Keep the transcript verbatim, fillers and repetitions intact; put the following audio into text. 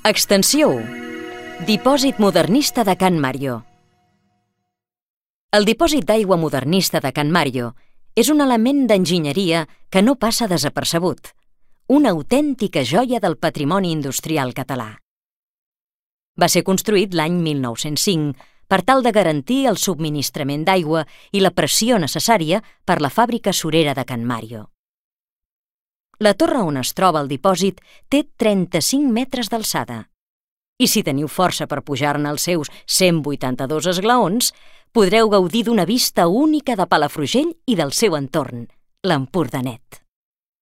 Extensió u. Dipòsit modernista de Can Mario. El dipòsit d'aigua modernista de Can Mario és un element d'enginyeria que no passa desapercebut, una autèntica joia del patrimoni industrial català. Va ser construït l'any mil nou-cents cinc per tal de garantir el subministrament d'aigua i la pressió necessària per la fàbrica surera de Can Mario. La torre on es troba el dipòsit té trenta-cinc metres d'alçada i si teniu força per pujar-ne els seus cent vuitanta-dos esglaons, podreu gaudir d'una vista única de Palafrugell i del seu entorn, l'Empordanet.